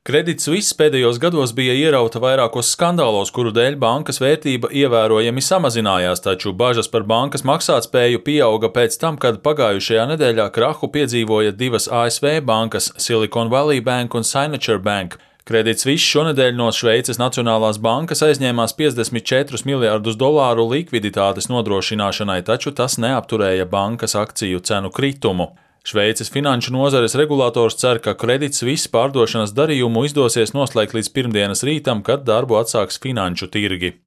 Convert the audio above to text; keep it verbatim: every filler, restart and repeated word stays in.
Credit Suisse pēdējos gados bija ierauta vairākos skandālos, kuru dēļ bankas vērtība ievērojami samazinājās, taču bažas par bankas maksātspēju pieauga pēc tam, kad pagājušajā nedēļā krahu piedzīvoja divas A S V bankas – Silicon Valley Bank un Signature Bank. Credit Suisse šonedēļ no Šveices Nacionālās bankas aizņēmās piecdesmit četrus miljardus dolāru likviditātes nodrošināšanai, taču tas neapturēja bankas akciju cenu kritumu. Šveices finanšu nozares regulators cer, ka Credit Suisse pārdošanas darījumu izdosies noslēgt līdz pirmdienas rītam, kad darbu atsāks finanšu tirgi.